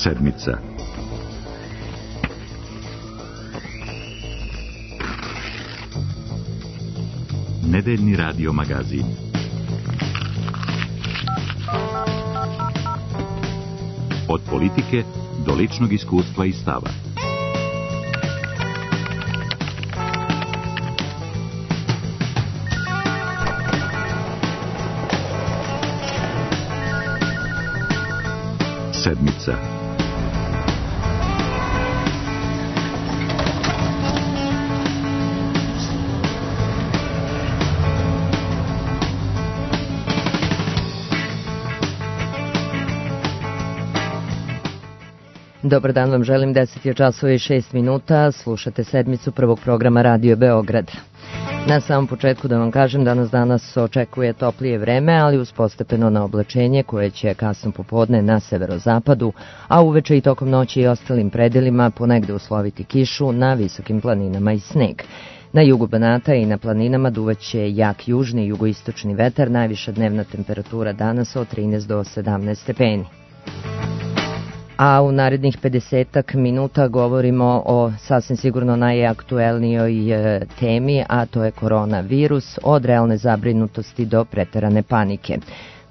Sedmica. Nedeljni radio magazin. Od politike do ličnog iskustva i stava. Sedmica. Dobar dan vam želim, 10:06, slušate sedmicu prvog programa Radio Beograd. Na samom početku da vam kažem, danas očekuje toplije vreme, ali uz postepeno na oblačenje koje će kasno popodne na severozapadu, a uveče i tokom noći i ostalim predelima ponegde usloviti kišu, na visokim planinama i sneg. Na jugu Banata i na planinama duvaće jak južni i jugoistočni vetar, najviša dnevna temperatura danas od 13 do 17 stepeni. A u narednih 50 minuta govorimo o sasvim sigurno najaktuelnijoj temi, a to je koronavirus, od realne zabrinutosti do preterane panike.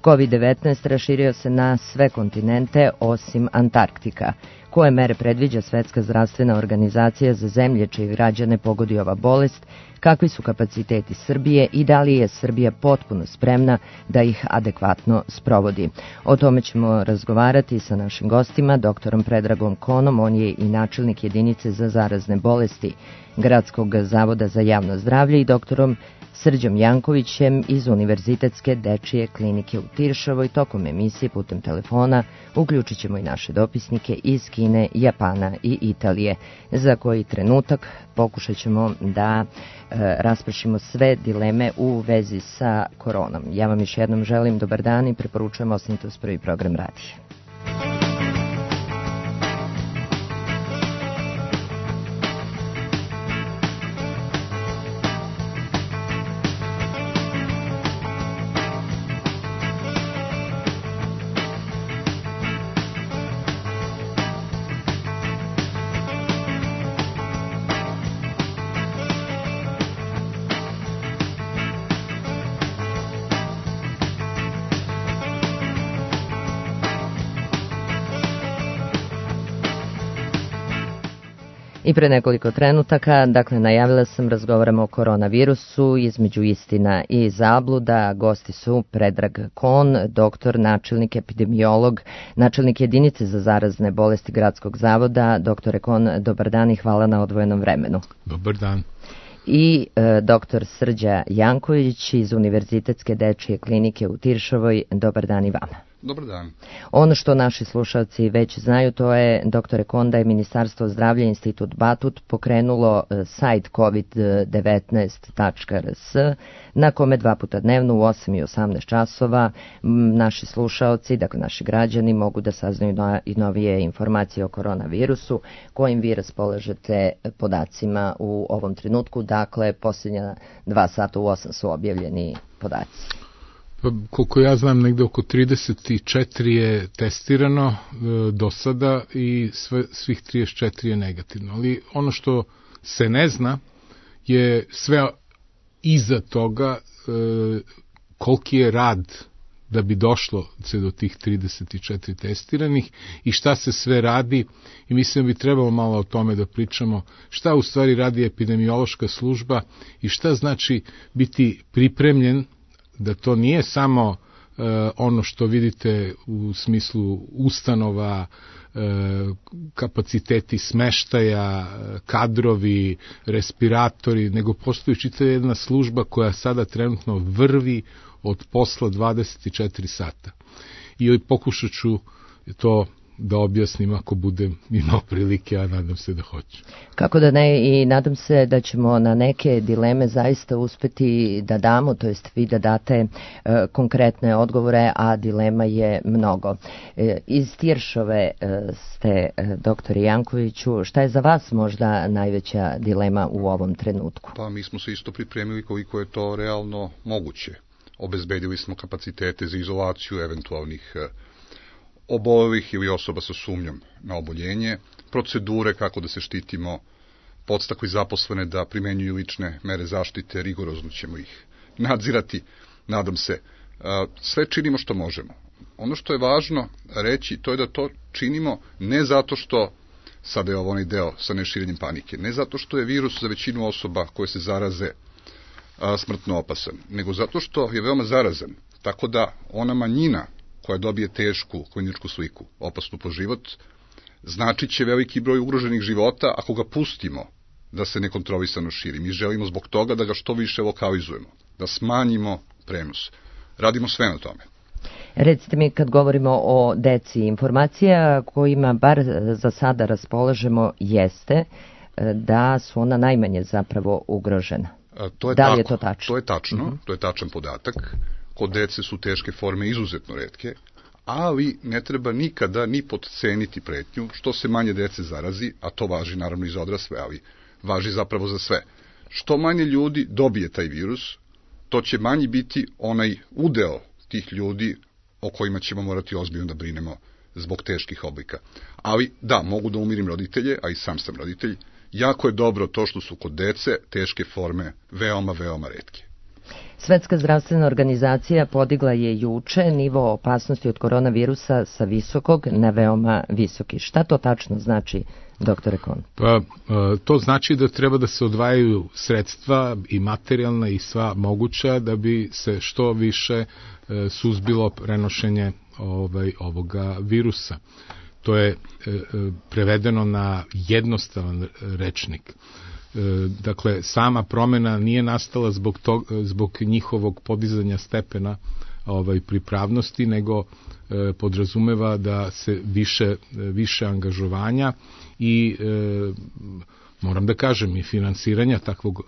COVID-19 raširio se na sve kontinente osim Antarktika. Koje mere predviđa Svetska zdravstvena organizacija za zemlje čije građane pogodi ova bolest, kakvi su kapaciteti Srbije i da li je Srbija potpuno spremna da ih adekvatno sprovodi. O tome ćemo razgovarati sa našim gostima, doktorom Predragom Konom, on je i načelnik jedinice za zarazne bolesti Gradskog zavoda za javno zdravlje, i doktorom Srđom Jankovićem iz Univerzitetske dečije klinike u Tiršovoj. Tokom emisije putem telefona uključit ćemo i naše dopisnike iz Kine, Japana i Italije. Za koji trenutak pokušat ćemo da raspršimo sve dileme u vezi sa koronom. Ja vam još jednom želim dobar dan i preporučujem ostanite uz prvi program radija. I pre nekoliko trenutaka, najavila sam, razgovaramo o koronavirusu, između istina i zabluda. Gosti su Predrag Kon, doktor, načelnik, epidemiolog, načelnik jedinice za zarazne bolesti Gradskog zavoda. Doktore Kon, dobar dan i hvala na odvojenom vremenu. Dobar dan. I doktor Srđa Janković iz Univerzitetske dečije klinike u Tiršovoj. Dobar dan i vama. Dobar dan. Ono što naši slušalci već znaju, to je, doktore Kon, da je Ministarstvo zdravlja, Institut Batut, pokrenulo sajt covid19.rs na kome 2 puta dnevno u 8 i 18 časova naši slušalci, naši građani, mogu da saznaju i novije informacije o koronavirusu, kojim vi raspolažete podacima u ovom trenutku. Posljednja 2 sata u 8 su objavljeni podaci. Koliko ja znam, negde oko 34 je testirano do sada i svih 34 je negativno. Ali ono što se ne zna je sve iza toga, koliki je rad da bi došlo se do tih 34 testiranih i šta se sve radi, i mislim da bi trebalo malo o tome da pričamo, šta u stvari radi epidemiološka služba i šta znači biti pripremljen, da to nije samo ono što vidite u smislu ustanova, kapaciteti smeštaja, kadrovi, respiratori, nego postoji čitava jedna služba koja sada trenutno vrvi od posla 24 sata. I pokušat ću to da objasnim ako budem imao prilike, a nadam se da hoću. Kako da ne, i nadam se da ćemo na neke dileme zaista uspeti da damo, to jest vi da date konkretne odgovore, a dilema je mnogo. Iz Tiršove ste, doktore Jankoviću, šta je za vas možda najveća dilema u ovom trenutku? Pa mi smo se isto pripremili koliko je to realno moguće. Obezbedili smo kapacitete za izolaciju eventualnih obolelih ili osoba sa sumnjom na oboljenje, procedure kako da se štitimo, podstakli zaposlene da primenjuju lične mere zaštite, rigorozno ćemo ih nadzirati, nadam se. Sve činimo što možemo. Ono što je važno reći, to je da to činimo ne zato što, sada je ovo onaj deo sa neširenjem panike, ne zato što je virus za većinu osoba koje se zaraze smrtno opasan, nego zato što je veoma zarazan, tako da ona manjina koja dobije tešku kliničku sliku, opasnu po život, značit će veliki broj ugroženih života ako ga pustimo da se nekontrolisano širi. Mi želimo zbog toga da ga što više lokalizujemo, da smanjimo prenos. Radimo sve na tome. Recite mi, kad govorimo o deci, informacija kojima bar za sada raspolažemo jeste da su ona najmanje zapravo ugrožena. Da li je to tačno? To je tačno, to je tačan podatak. Kod dece su teške forme izuzetno retke, ali ne treba nikada ni potceniti pretnju, što se manje dece zarazi, a to važi naravno i za odrasle, ali važi zapravo za sve. Što manje ljudi dobije taj virus, to će manji biti onaj udeo tih ljudi o kojima ćemo morati ozbiljno da brinemo zbog teških oblika. Ali da, mogu da umirim roditelje, a i sam roditelj, jako je dobro to što su kod dece teške forme veoma, veoma retke. Svetska zdravstvena organizacija podigla je juče nivo opasnosti od koronavirusa sa visokog na veoma visoki. Šta to tačno znači, doktore Kohn? Pa, to znači da treba da se odvajaju sredstva i materijalna i sva moguća da bi se što više suzbilo prenošenje ovoga virusa. To je prevedeno na jednostavan rečnik. Dakle, sama promena nije nastala zbog njihovog podizanja stepena pripravnosti, nego podrazumeva da se više angažovanja i moram da kažem i finansiranja takvog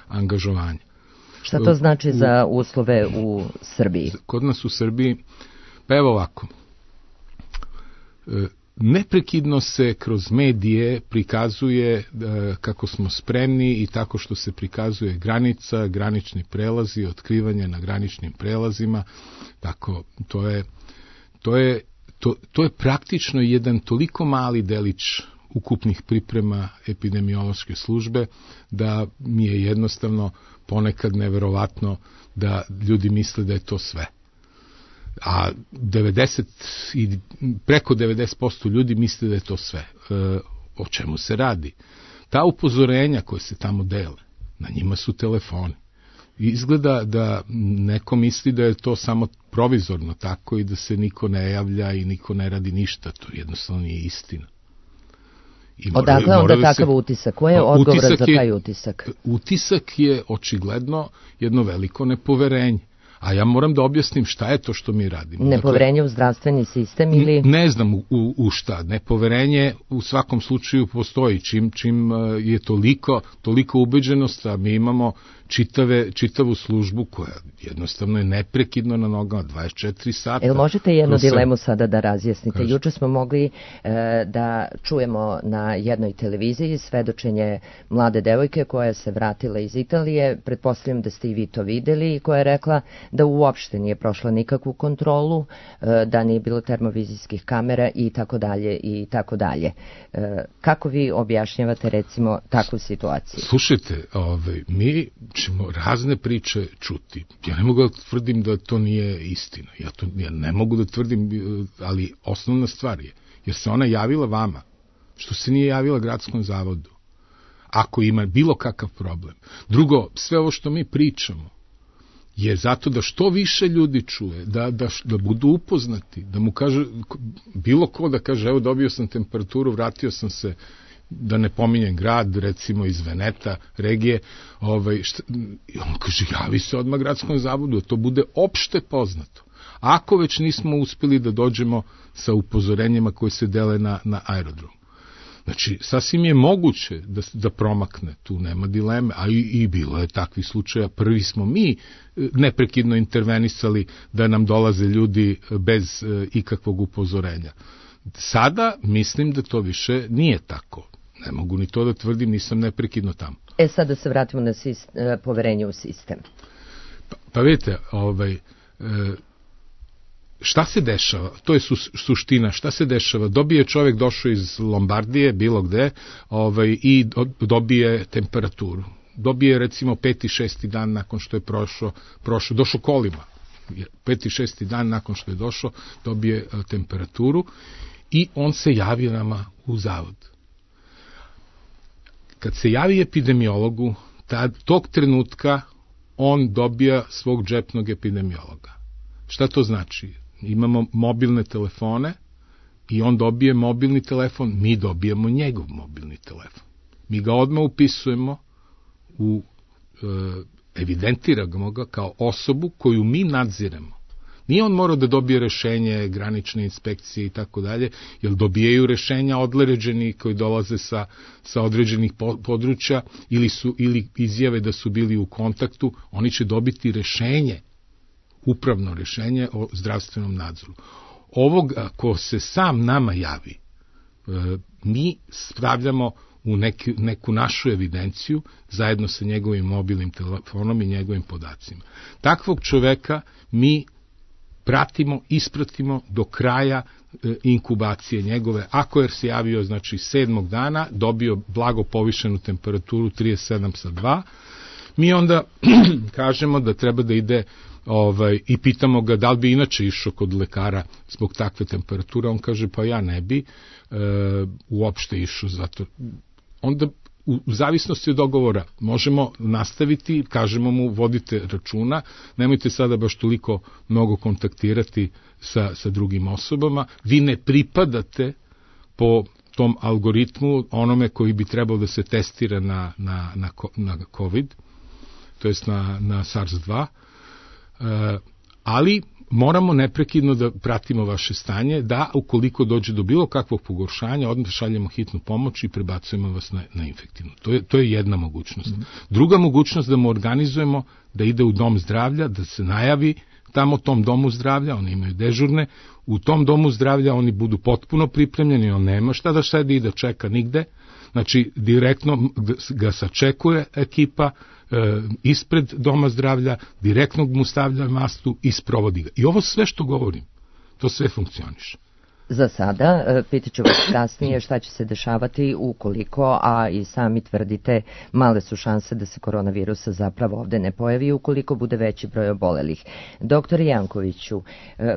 angažovanja. Šta to znači za uslove u Srbiji? Kod nas u Srbiji, pa evo ovako, neprekidno se kroz medije prikazuje kako smo spremni i tako što se prikazuje granica, granični prelazi, otkrivanje na graničnim prelazima, tako to je praktično jedan toliko mali delić ukupnih priprema epidemiološke službe da mi je jednostavno ponekad neverovatno da ljudi misle da je to sve. A preko 90% ljudi misle da je to sve. O čemu se radi? Ta upozorenja koje se tamo dele, na njima su telefoni. Izgleda da neko misli da je to samo provizorno tako i da se niko ne javlja i niko ne radi ništa. To jednostavno nije istina. Odakle onda takav utisak? Ko je odgovoran za taj utisak? Utisak je očigledno jedno veliko nepoverenje. A ja moram da objasnim šta je to što mi radimo. Nepoverenje u zdravstveni sistem ili... Ne znam u šta. Nepoverenje u svakom slučaju postoji. Čim je toliko ubeđenost, a mi imamo čitavu službu koja jednostavno je neprekidno na nogama 24 sata. Jel možete jednu dilemu sada da razjasnite? Juče smo mogli da čujemo na jednoj televiziji svedočenje mlade devojke koja se vratila iz Italije, pretpostavljam da ste i vi to videli, i koja je rekla da uopšte nije prošla nikakvu kontrolu, da nije bilo termovizijskih kamera i tako dalje i tako dalje. Kako vi objašnjavate recimo takvu situaciju? Slušajte, mi ćemo razne priče čuti. Ja ne mogu da tvrdim da to nije istina. Ja ne mogu da tvrdim, ali osnovna stvar je, jer se ona javila vama, što se nije javila gradskom zavodu, ako ima bilo kakav problem. Drugo, sve ovo što mi pričamo je zato da što više ljudi čuje, da budu upoznati, da mu kaže, bilo ko da kaže, evo dobio sam temperaturu, vratio sam se, da ne pominjem grad, recimo iz Veneta, regije, on kaže, javi se odmah gradskom zavodu, to bude opšte poznato. Ako već nismo uspeli da dođemo sa upozorenjima koje se dele na aerodromu. Znači, sasvim je moguće da promakne, tu nema dileme, a i bilo je takvih slučaja. Prvi smo mi neprekidno intervenisali da nam dolaze ljudi bez ikakvog upozorenja. Sada mislim da to više nije tako. Ne mogu ni to da tvrdim, nisam neprekidno tamo. Sada se vratimo na poverenje u sistem. Pa vidite, šta se dešava? To je suština. Šta se dešava? Dobije čovjek, došao iz Lombardije, bilo gde, i dobije temperaturu. Dobije recimo 5. 6. dan nakon što je došao kolima. 5. 6. dan nakon što je došao, dobije temperaturu i on se javi nama u zavod. Kad se javi epidemiologu, tog trenutka on dobija svog džepnog epidemiologa. Šta to znači? Imamo mobilne telefone i on dobije mobilni telefon, mi dobijemo njegov mobilni telefon. Mi ga odmah upisujemo evidentiramo ga kao osobu koju mi nadziremo. Nije on morao da dobije rešenje granične inspekcije i tako dalje, jer dobijaju rešenja određeni koji dolaze sa određenih područja ili izjave da su bili u kontaktu, oni će dobiti rešenje, upravno rešenje o zdravstvenom nadzoru. Ovoga ko se sam nama javi, mi stavljamo u neku našu evidenciju zajedno sa njegovim mobilnim telefonom i njegovim podacima. Takvog čoveka mi pratimo, ispratimo do kraja inkubacije njegove. Ako je se javio, znači 7. dana, dobio blago povišenu temperaturu 37,2, mi onda kažemo da treba da ide i pitamo ga da li bi inače išao kod lekara zbog takve temperature. On kaže pa ja ne bi uopšte išao zato. Onda u zavisnosti od dogovora možemo nastaviti, kažemo mu vodite računa, nemojte sada baš toliko mnogo kontaktirati sa drugim osobama, vi ne pripadate po tom algoritmu onome koji bi trebao da se testira na COVID, to jest na SARS-2, ali moramo neprekidno da pratimo vaše stanje, da ukoliko dođe do bilo kakvog pogoršanja, odmah šaljemo hitnu pomoć i prebacujemo vas na infektivnu. To je jedna mogućnost. Druga mogućnost da mu organizujemo da ide u dom zdravlja, da se najavi tamo tom domu zdravlja, oni imaju dežurne, u tom domu zdravlja oni budu potpuno pripremljeni, on nema šta da sedi i da čeka nigde, znači direktno ga sačekuje ekipa ispred doma zdravlja, direktno mu stavlja mastu i sprovodi ga. I ovo sve što govorim, to sve funkcioniše. Za sada, pitat ću vas kasnije šta će se dešavati ukoliko, a i sami tvrdite, male su šanse da se koronavirus zapravo ovde ne pojavi ukoliko bude veći broj obolelih. Doktor Jankoviću,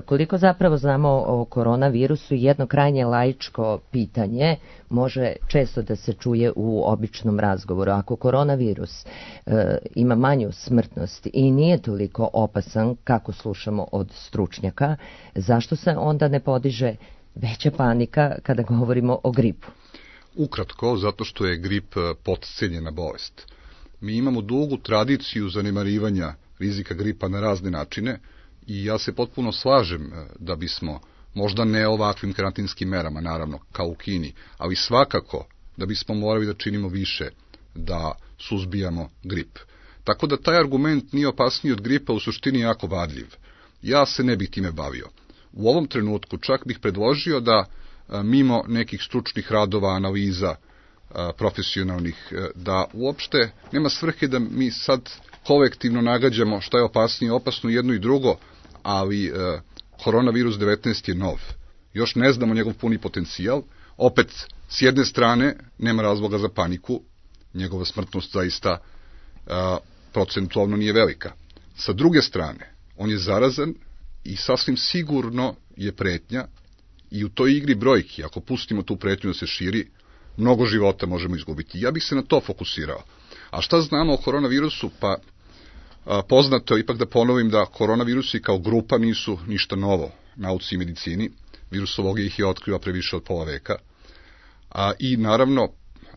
koliko zapravo znamo o koronavirusu, jedno krajnje laičko pitanje može često da se čuje u običnom razgovoru. Ako koronavirus ima manju smrtnost i nije toliko opasan kako slušamo od stručnjaka, zašto se onda ne podiže veća panika kada govorimo o gripu? Ukratko, zato što je grip potcenjena bolest. Mi imamo dugu tradiciju zanemarivanja rizika gripa na razne načine i ja se potpuno slažem da bismo, možda ne ovakvim karantinskim merama, naravno, kao u Kini, ali svakako da bismo morali da činimo više da suzbijamo grip. Tako da taj argument nije opasniji od gripa u suštini jako vadljiv. Ja se ne bih time bavio. U ovom trenutku čak bih predložio da mimo nekih stručnih radova, analiza profesionalnih, da uopšte nema svrhe da mi sad kolektivno nagađamo šta je opasnije, opasno jedno i drugo, ali koronavirus 19 je nov. Još ne znamo njegov puni potencijal. Opet, s jedne strane, nema razloga za paniku, njegova smrtnost zaista procentualno nije velika. Sa druge strane, on je zarazan i sasvim sigurno je pretnja i u toj igri brojki, ako pustimo tu pretnju da se širi, mnogo života možemo izgubiti. Ja bih se na to fokusirao. A šta znamo o koronavirusu? Pa poznato je, ipak da ponovim, da koronavirusi kao grupa nisu ništa novo nauci i medicini. Virusologija ih je otkriva pre više od pola veka. I naravno,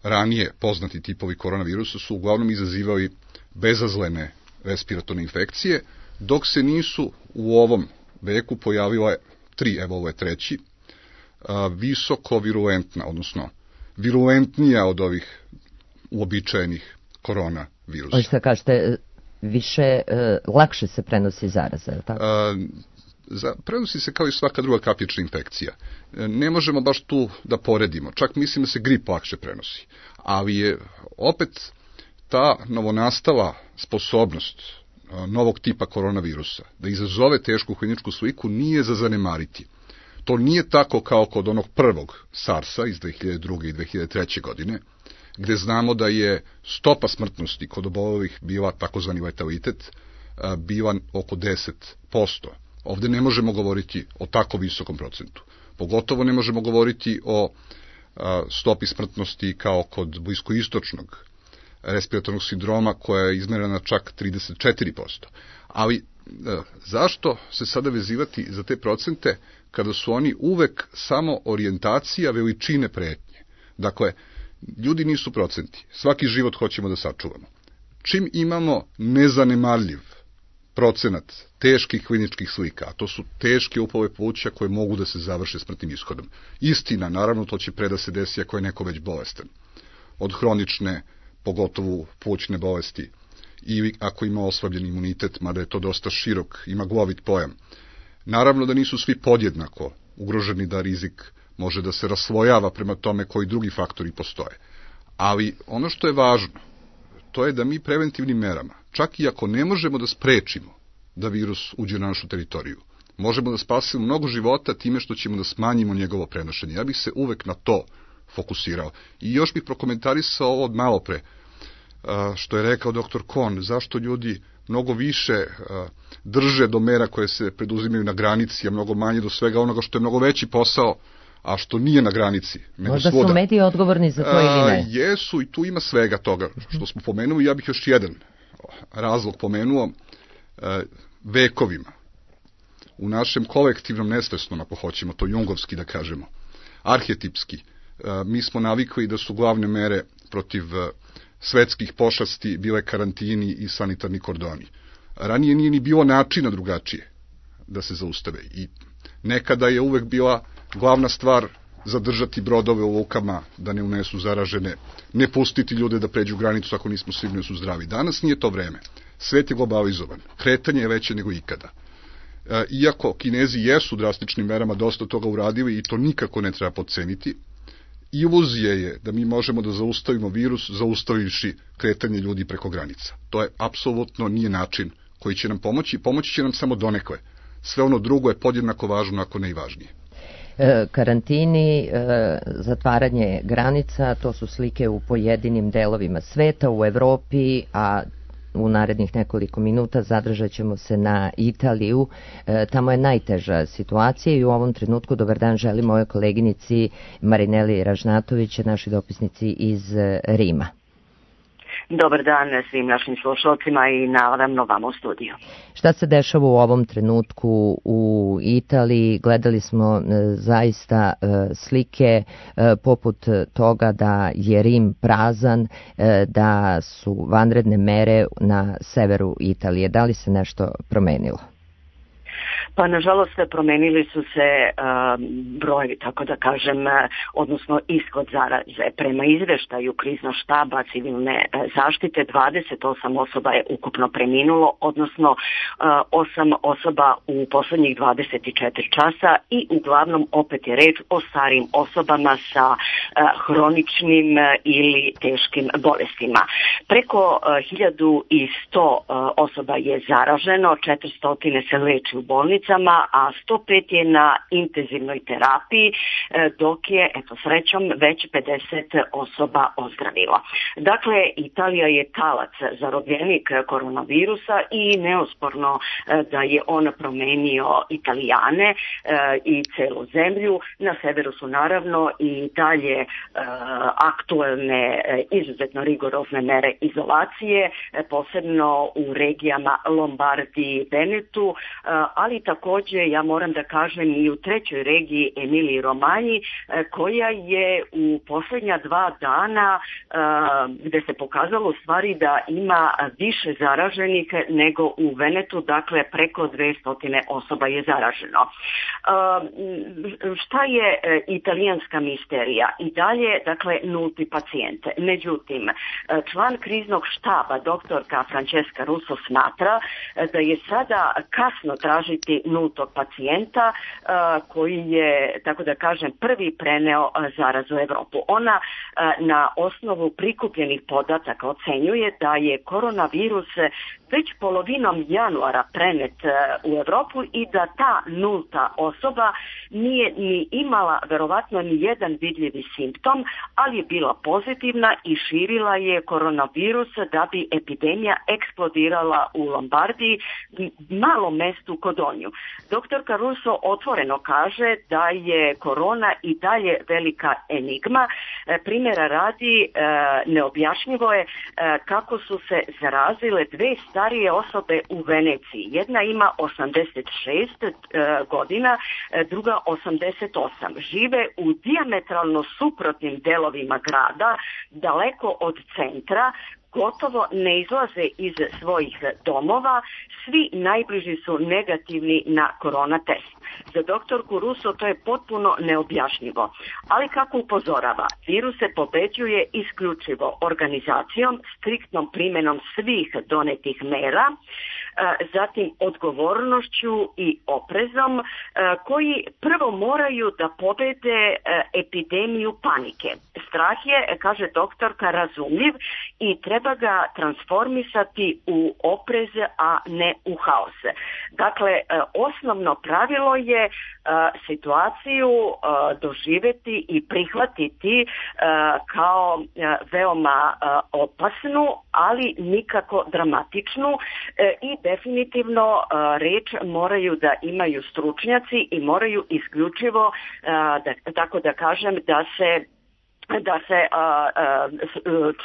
ranije poznati tipovi koronavirusa su uglavnom izazivali bezazlene respiratorne infekcije, dok se nisu u ovom veku pojavile tri, evo ovo je treći, visoko virulentna, odnosno virulentnija od ovih uobičajenih koronavirusa. Hoćete kažete, više, lakše se prenosi zaraza, je li tako? Prenosi se kao i svaka druga kapljična infekcija. Ne možemo baš tu da poredimo. Čak mislim da se grip lakše prenosi. Ali je opet ta novonastala sposobnost novog tipa koronavirusa, da izazove tešku kliničku sliku, nije za zanemariti. To nije tako kao kod onog prvog SARS-a iz 2002. i 2003. godine, gde znamo da je stopa smrtnosti kod obolelih bila, takozvani letalitet, bila oko 10%. Ovde ne možemo govoriti o tako visokom procentu. Pogotovo ne možemo govoriti o stopi smrtnosti kao kod bliskoistočnog respiratornog sindroma koja je izmerena čak 34%. Ali zašto se sada vezivati za te procente kada su oni uvek samo orijentacija veličine pretnje? Dakle, ljudi nisu procenti. Svaki život hoćemo da sačuvamo. Čim imamo nezanemarljiv procenat teških kliničkih slika, a to su teške upale pluća koje mogu da se završe smrtnim ishodom. Istina, naravno, to će pre da se desi ako je neko već bolestan. Od hronične, pogotovo plućne bolesti, ili ako ima oslabljen imunitet, mada je to dosta širok i maglovit pojam. Naravno da nisu svi podjednako ugroženi, da rizik može da se raslojava prema tome koji drugi faktori postoje. Ali ono što je važno, to je da mi preventivnim merama, čak i ako ne možemo da sprečimo da virus uđe na našu teritoriju, možemo da spasimo mnogo života time što ćemo da smanjimo njegovo prenošenje. Ja bih se uvek na to fokusirao. I još bih prokomentarisao ovo od malo pre, što je rekao dr. Kohn, zašto ljudi mnogo više drže do mera koje se preduzimaju na granici, a mnogo manje do svega onoga što je mnogo veći posao, a što nije na granici. Možda su mediji odgovorni za to ili ne? Jesu, i tu ima svega toga što smo pomenuli. Ja bih još jedan razlog pomenuo. Vekovima, u našem kolektivnom nesvesnom, ako hoćemo to jungovski da kažemo, arhetipski, mi smo navikli da su glavne mere protiv svetskih pošasti bile karantini i sanitarni kordoni. Ranije nije ni bilo načina drugačije da se zaustave i nekada je uvek bila glavna stvar zadržati brodove u lukama da ne unesu zaražene, ne pustiti ljude da pređu granicu ako nismo sigurni da su zdravi. Danas nije to vreme. Svet je globalizovan. Kretanje je veće nego ikada. Iako Kinezi jesu drastičnim merama dosta toga uradili i to nikako ne treba podceniti, iluzija je da mi možemo da zaustavimo virus zaustavivši kretanje ljudi preko granica. To je apsolutno nije način koji će nam pomoći. Pomoći će nam samo donekle. Sve ono drugo je podjednako važno, ako ne i važnije. Karantini, zatvaranje granica, to su slike u pojedinim delovima sveta, u Evropi, a u narednih nekoliko minuta zadržat ćemo se na Italiju. Tamo je najteža situacija i u ovom trenutku dobar dan želim mojoj koleginici Marineli Ražnatović, našoj dopisnici iz Rima. Dobar dan svim našim slušalcima i naravno vam u studiju. Šta se dešava u ovom trenutku u Italiji? Gledali smo zaista slike poput toga da je Rim prazan, da su vanredne mere na severu Italije. Da li se nešto promenilo? Pa nažalost promenili su se broj, tako da kažem, odnosno ishod zaraze. Prema izveštaju kriznog štaba civilne zaštite 28 osoba je ukupno preminulo, odnosno 8 osoba u poslednjih 24 časa i uglavnom opet je reč o starijim osobama sa hroničnim ili teškim bolestima. Preko 1100 osoba je zaraženo, 400 se leči u bolnicama, a 105 je na intenzivnoj terapiji, dok je, eto srećom, već 50 osoba ozdravilo. Dakle, Italija je talac, zarobljenik koronavirusa i neosporno da je on promenio Italijane i celu zemlju. Na severu su naravno i dalje aktuelne izuzetno rigorozne mere izolacije, posebno u regijama Lombardiji i Venetu, ali takođe ja moram da kažem i u trećoj regiji Emiliji Romanji, koja je u poslednja 2 dana gde se pokazalo u stvari da ima više zaraženih nego u Venetu, dakle preko 200 osoba je zaraženo. Šta je italijanska misterija? I dalje, dakle, nulti pacijente. Međutim, član kriznog štaba, doktorka Francesca Russo, smatra da je sada kasno tražiti nultog pacijenta koji je, tako da kažem, prvi preneo zarazu u Evropu. Ona na osnovu prikupljenih podataka ocenjuje da je koronavirus već polovinom januara prenet u Evropu i da ta nulta osoba nije ni imala verovatno ni jedan vidljivi simptom, ali je bila pozitivna i širila je koronavirus da bi epidemija eksplodirala u Lombardiji, malom mestu Kodonju. Doktorka Russo otvoreno kaže da je korona i dalje velika enigma. Primjera radi, neobjašnjivo je kako su se zarazile dve starije osobe u Veneciji. Jedna ima 86 godina, druga 88. Žive u dijametralno suprotnim delovima grada, daleko od centra, gotovo ne izlaze iz svojih domova, svi najbliži su negativni na korona test. Za doktorku Russo to je potpuno neobjašnjivo. Ali kako upozorava, virus se pobeđuje isključivo organizacijom, striktnom primjenom svih donetih mera, zatim odgovornošću i oprezom, koji prvo moraju da pobede epidemiju panike. Strah je, kaže doktorka, razumljiv i treba ga transformisati u oprez, a ne u haos. Dakle, osnovno pravilo je situaciju doživjeti i prihvatiti kao veoma opasnu, ali nikako dramatičnu i definitivno reč moraju da imaju stručnjaci i moraju isključivo, tako da kažem, da se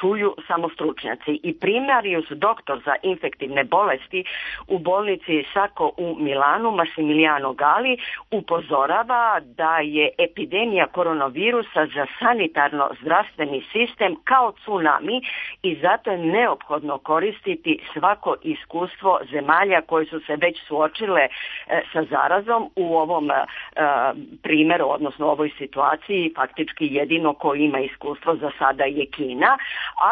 čuju samo stručnjaci. I primarius doktor za infektivne bolesti u bolnici Sacco u Milanu, Massimiliano Gali, upozorava da je epidemija koronavirusa za sanitarno-zdravstveni sistem kao tsunami i zato je neophodno koristiti svako iskustvo zemalja koje su se već suočile sa zarazom. U ovom primjeru, odnosno u ovoj situaciji, faktički jedino koji ima iskustvo za sada je Kina,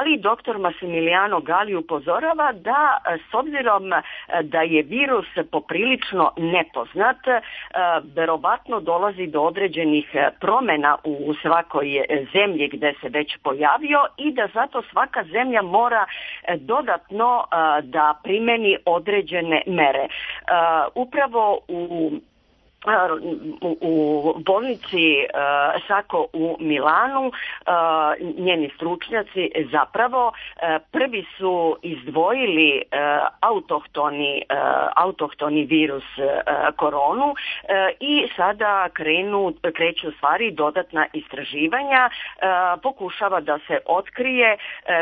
ali doktor Massimiliano Gali upozorava da s obzirom da je virus poprilično nepoznat, verovatno dolazi do određenih promjena u svakoj zemlji gde se već pojavio i da zato svaka zemlja mora dodatno da primeni određene mere. Upravo u bolnici Sacco u Milanu njeni stručnjaci prvi su izdvojili autohtoni virus koronu i sada kreću stvari dodatna istraživanja, pokušava da se otkrije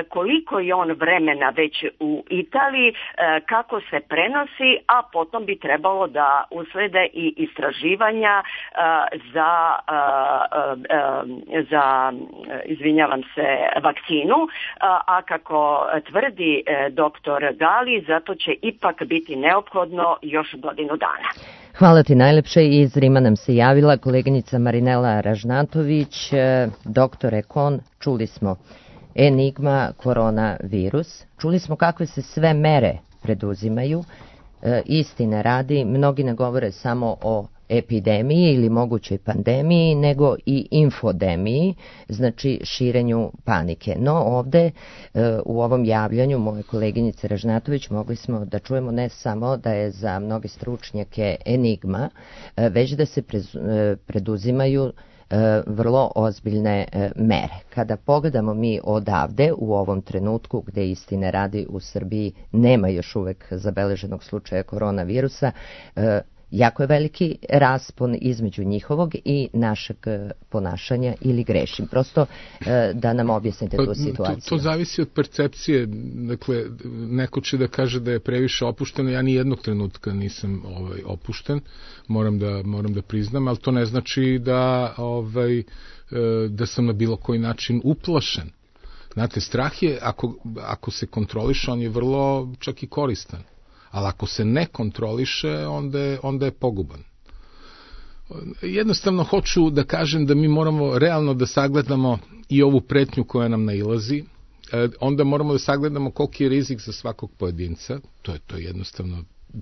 koliko je on vremena već u Italiji, kako se prenosi, a potom bi trebalo da uslede i istraživanja za vakcinu, a kako tvrdi doktor Gali, zato će ipak biti neophodno još godinu dana. Hvala ti najlepše. Iz Rima nam se javila koleginica Marinela Ražnatović. Doktore Kon, čuli smo enigma koronavirus, čuli smo kakve se sve mere preduzimaju. Istine radi, mnogi ne govore samo o epidemiji ili mogućoj pandemiji, nego i infodemiji, znači širenju panike. No ovde u ovom javljanju moje koleginice Ražnatović mogli smo da čujemo ne samo da je za mnoge stručnjake enigma, već da se preduzimaju vrlo ozbiljne mere. Kada pogledamo mi odavde u ovom trenutku gde istine radi u Srbiji nema još uvek zabeleženog slučaja koronavirusa, jako je veliki raspon između njihovog i našeg ponašanja ili grešim. Prosto da nam objasnite tu situaciju. To zavisi od percepcije. Dakle, neko će da kaže da je previše opušteno. Ja ni jednog trenutka nisam opušten. Moram da priznam, ali to ne znači da sam na bilo koji način uplašen. Znate, strah je, ako se kontroliše, on je vrlo čak i koristan. Ali ako se ne kontroliše, onda je poguban. Jednostavno hoću da kažem da mi moramo realno da sagledamo i ovu pretnju koja nam nailazi, onda moramo da sagledamo koliki je rizik za svakog pojedinca, to je jednostavno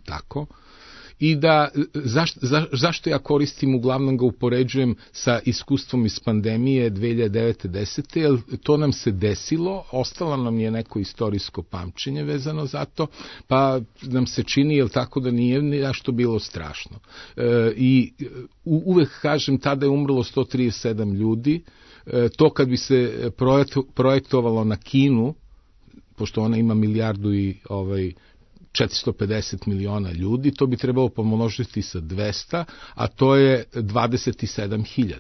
tako, i da zašto ja koristim, uglavnom ga upoređujem sa iskustvom iz pandemije 2009-10, jer to nam se desilo, ostalo nam je neko istorijsko pamćenje vezano za to, pa nam se čini, jel tako, da nije nešto bilo strašno. I uvek kažem, tada je umrlo 137 ljudi, to kad bi se projektovalo na Kinu, pošto ona ima 1.450 miliona ljudi, to bi trebalo pomnožiti sa 200, a to je 27.000.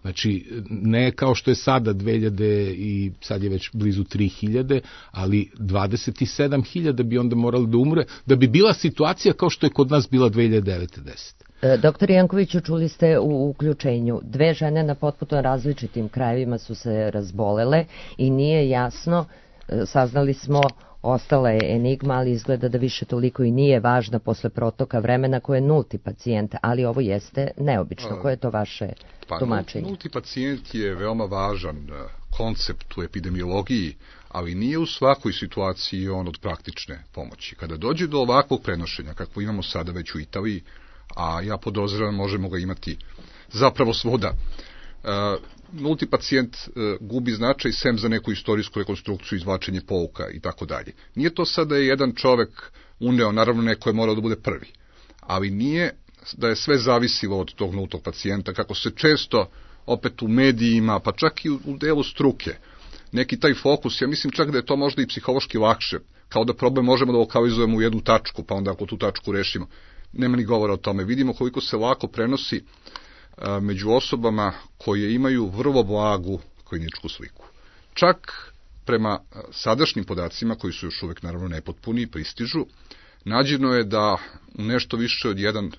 Znači, ne kao što je sada 2000 i sad je već blizu 3.000, ali 27.000 bi onda morali da umre, da bi bila situacija kao što je kod nas bila 2009-10. Doktor Jankoviću, čuli ste u uključenju, 2 žene na potpuno različitim krajevima su se razbolele i nije jasno, saznali smo, ostala je enigma, ali izgleda da više toliko i nije važna posle protoka vremena, koje je nulti pacijent, ali ovo jeste neobično. Koje je to vaše tumačenje? Nulti pacijent je veoma važan koncept u epidemiologiji, ali nije u svakoj situaciji on od praktične pomoći. Kada dođe do ovakvog prenošenja, kako imamo sada već u Italiji, a ja podoziravam možemo ga imati zapravo svuda, nulti pacijent gubi značaj sem za neku istorijsku rekonstrukciju, izvlačenje pouka i tako dalje. Nije to sada je jedan čovek uneo, naravno neko je morao da bude prvi, ali nije da je sve zavisilo od tog nultog pacijenta, kako se često opet u medijima, pa čak i u delu struke, neki taj fokus, ja mislim čak da je to možda i psihološki lakše, kao da problem možemo da lokalizujemo u jednu tačku, pa onda ako tu tačku rešimo, nema ni govora o tome. Vidimo koliko se lako prenosi među osobama koje imaju vrlo blagu kliničku sliku. Čak prema sadašnjim podacima, koji su još uvek naravno nepotpuni i pristižu, nađeno je da u nešto više od 1%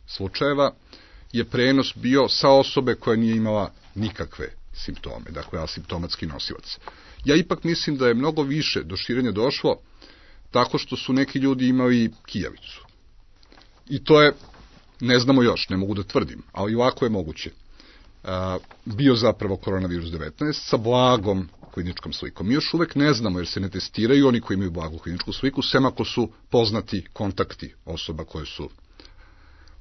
slučajeva je prenos bio sa osobe koja nije imala nikakve simptome, dakle asimptomatski nosilac. Ja ipak mislim da je mnogo više do širenja došlo tako što su neki ljudi imali kijavicu. I to je, ne znamo još, ne mogu da tvrdim, ali ovako je moguće. Bio zapravo koronavirus 19 sa blagom kliničkom slikom. Mi još uvek ne znamo jer se ne testiraju oni koji imaju blagu kliničku sliku, sem ako su poznati kontakti osoba koje su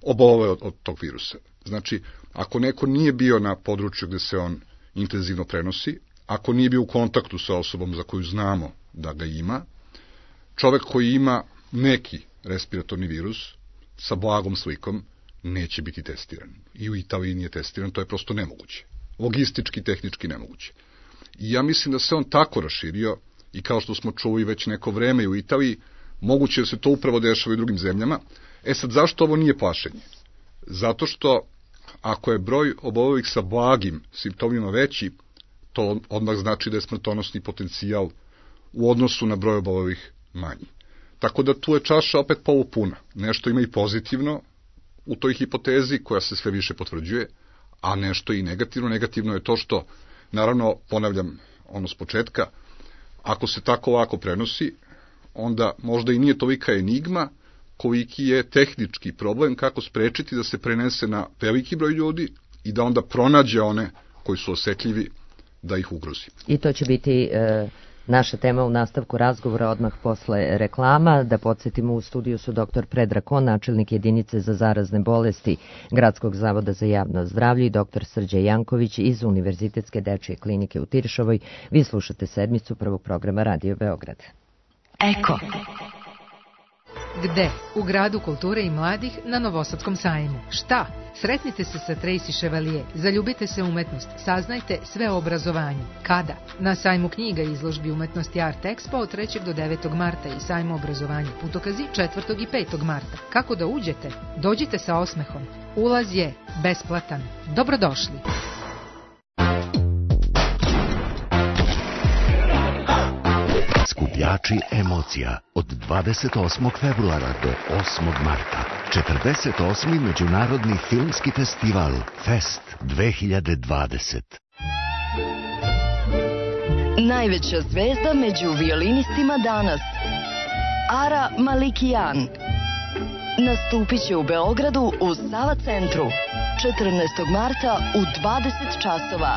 obolele od tog virusa. Znači, ako neko nije bio na području gde se on intenzivno prenosi, ako nije bio u kontaktu sa osobom za koju znamo da ga ima, čovek koji ima neki respiratorni virus sa blagom slikom neće biti testiran. I u Italiji nije testiran, to je prosto nemoguće. Logistički, tehnički nemoguće. I ja mislim da se on tako raširio i kao što smo čuli već neko vreme i u Italiji, moguće da se to upravo dešava i u drugim zemljama. Sad, zašto ovo nije plašenje? Zato što ako je broj obolelih sa blagim simptomima veći, to odmah znači da je smrtonosni potencijal u odnosu na broj obolelih manji. Tako da tu je čaša opet polupuna. Nešto ima i pozitivno u toj hipotezi koja se sve više potvrđuje, a nešto i negativno. Negativno je to što, naravno, ponavljam ono s početka, ako se tako lako prenosi, onda možda i nije tolika enigma koliki je tehnički problem kako sprečiti da se prenese na veliki broj ljudi i da onda pronađe one koji su osetljivi da ih ugrozi. I to će biti naša tema u nastavku razgovora odmah posle reklama. Da podsjetimo, u studiju su dr. Predrag Kon, načelnik jedinice za zarazne bolesti Gradskog zavoda za javno zdravlje, i dr. Srđan Janković iz Univerzitetske dečije klinike u Tiršovoj. Vi slušate sedmicu prvog programa Radio Beograd. Eko. Gde? U Gradu kulture i mladih na Novosadskom sajmu. Šta? Sretnite se sa Tracy Chevalier, zaljubite se umetnost, saznajte sve o obrazovanju. Kada? Na sajmu knjiga i izložbi umetnosti Art Expo od 3. do 9. marta i sajmu obrazovanja Putokazi 4. i 5. marta. Kako da uđete? Dođite sa osmehom. Ulaz je besplatan. Dobrodošli! Skupljači emocija od 28. februara do 8. marta. 48. Međunarodni filmski festival Fest 2020. Najveća zvezda među violinistima danas, Ara Malikian, nastupit će u Beogradu u Sava centru 14. marta u 20 časova.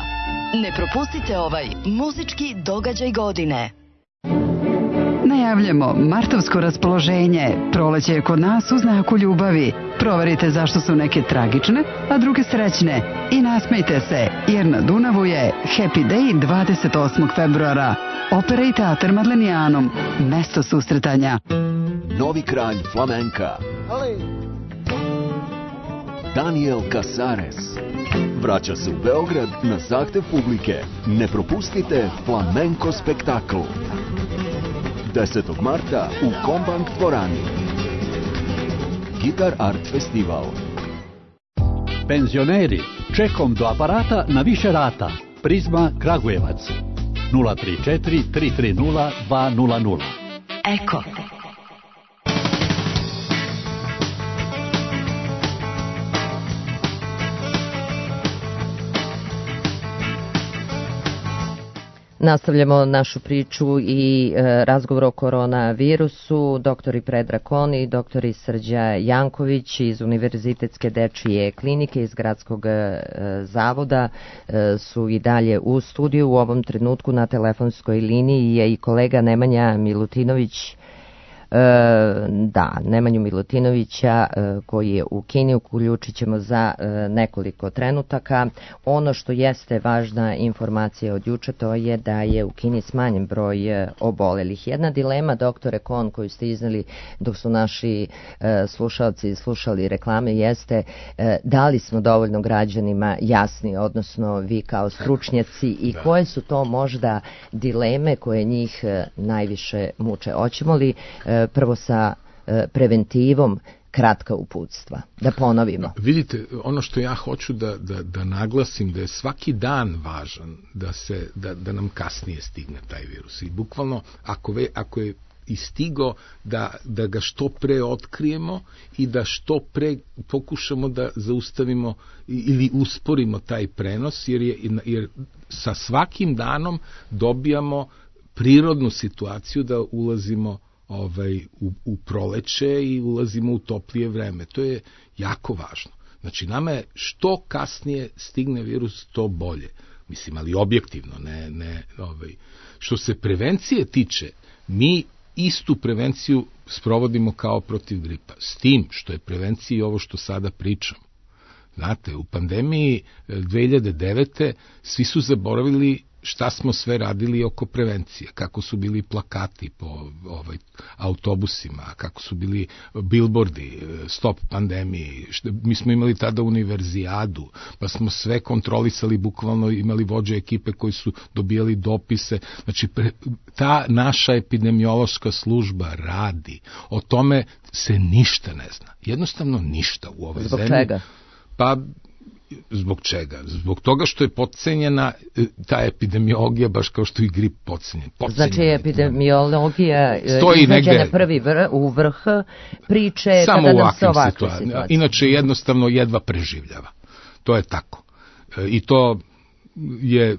Ne propustite ovaj muzički događaj godine. Najavljamo martovsko raspoloženje. Proleće je kod nas u znaku ljubavi. Proverite zašto su neke tragične, a druge srećne. I nasmejte se, jer na Dunavu je Happy Day 28. februara. Opera i teatar Madlenijanom. Mesto susretanja. Novi kralj flamenka Daniel Casares vraća se u Beograd na zahtev publike. Ne propustite flamenko spektakl 10. marta u Kombank dvorani. Gitar Art Festival. Penzioneri, čekom do aparata na više rata. Prizma Kragujevac 034 330 200. Eko. Nastavljamo našu priču i razgovor o koronavirusu. Doktori Predrag Kon i doktori Srđa Janković iz Univerzitetske dečije klinike iz Gradskog zavoda su i dalje u studiju. U ovom trenutku na telefonskoj liniji je i kolega Nemanja Milutinović. Nemanju Milutinovića koji je u Kini, uključit ćemo za nekoliko trenutaka. Ono što jeste važna informacija od juče, to je da je u Kini smanjen broj obolelih. Jedna dilema, doktore Kon, koju ste izneli dok su naši slušalci slušali reklame, jeste da li smo dovoljno građanima jasni, odnosno vi kao stručnjaci, i koje su to možda dileme koje njih najviše muče. Hoćemo li prvo sa preventivom kratka uputstva, da ponovimo? Vidite, ono što ja hoću da naglasim, da je svaki dan važan, da nam kasnije stigne taj virus. I bukvalno, ako je i stigao, da ga što pre otkrijemo i da što pre pokušamo da zaustavimo ili usporimo taj prenos, jer sa svakim danom dobijamo prirodnu situaciju da ulazimo u proleće i ulazimo u toplije vreme. To je jako važno. Znači, nama je što kasnije stigne virus, to bolje. Mislim, ali objektivno, ne. Što se prevencije tiče, mi istu prevenciju sprovodimo kao protiv gripa. S tim što je prevencija i ovo što sada pričam. Znate, u pandemiji 2009. svi su zaboravili šta smo sve radili oko prevencije, kako su bili plakati po autobusima, kako su bili bilbordi, stop pandemiji, mi smo imali tada univerzijadu, pa smo sve kontrolisali, bukvalno imali vođe ekipe koji su dobijali dopise, znači ta naša epidemiološka služba radi, o tome se ništa ne zna, jednostavno ništa u ovoj zemlji. Zbog čega? Pa, zbog čega? Zbog toga što je potcenjena ta epidemiologija, baš kao što i grip potcenjen. Znači epidemiologija izmeđena prvi u vrh priče samo kada nam se ovakve situacije. Inače jednostavno jedva preživljava. To je tako. I to je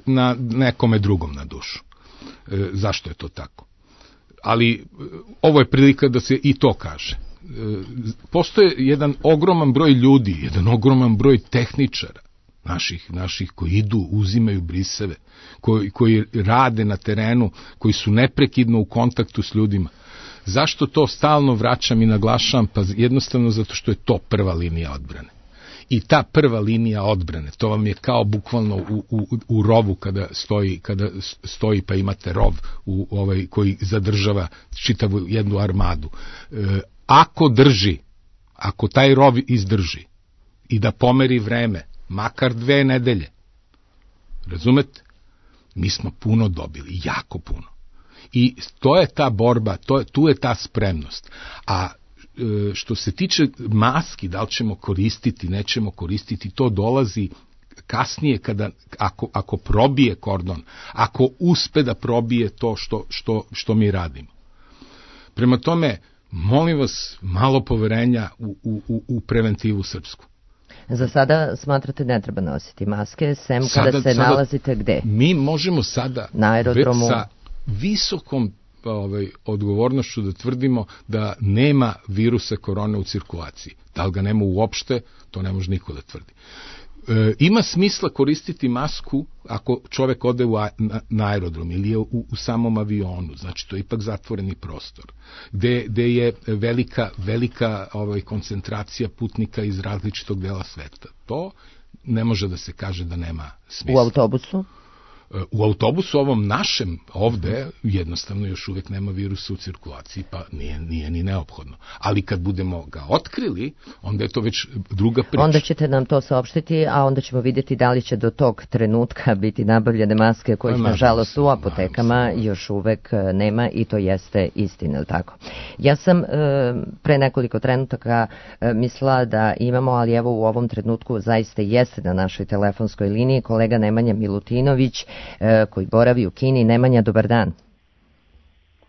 na nekome drugom na dušu. Zašto je to tako? Ali ovo je prilika da se i to kaže. Postoje jedan ogroman broj ljudi, jedan ogroman broj tehničara naših koji idu, uzimaju briseve, koji rade na terenu, koji su neprekidno u kontaktu s ljudima. Zašto to stalno vraćam i naglašavam? Pa jednostavno zato što je to prva linija odbrane. I ta prva linija odbrane, to vam je kao bukvalno u rovu kada stoji pa imate rov koji zadržava čitavu jednu armadu. Ako taj rov izdrži i da pomeri vreme, makar 2 nedelje, razumete, mi smo puno dobili, jako puno. I to je ta borba, tu je ta spremnost. A što se tiče maski, da li ćemo koristiti, nećemo koristiti, to dolazi kasnije ako probije kordon, ako uspe da probije to što mi radimo. Prema tome, molim vas, malo poverenja u preventivu srpsku. Za sada smatrate ne treba nositi maske, sem kada se nalazite gde? Mi možemo sada na aerodromu sa visokom odgovornošću da tvrdimo da nema virusa korone u cirkulaciji. Da li ga nema uopšte, to ne može niko da tvrdi. Ima smisla koristiti masku ako čovek ode na aerodrom ili je u samom avionu, znači to je ipak zatvoreni prostor, gde je velika koncentracija putnika iz različitog dela sveta. To ne može da se kaže da nema smisla. U autobusu? U autobusu ovom našem ovde jednostavno još uvek nema virusa u cirkulaciji, pa nije ni neophodno. Ali kad budemo ga otkrili, onda je to već druga priča. Onda ćete nam to saopštiti, a onda ćemo vidjeti da li će do tog trenutka biti nabavljene maske kojih nažalost u apotekama još uvek nema i to jeste istina, ili tako? Ja sam pre nekoliko trenutaka mislila da imamo, ali evo u ovom trenutku zaista jeste na našoj telefonskoj liniji kolega Nemanja Milutinović, koji boravi u Kini. Nemanja, dobar dan.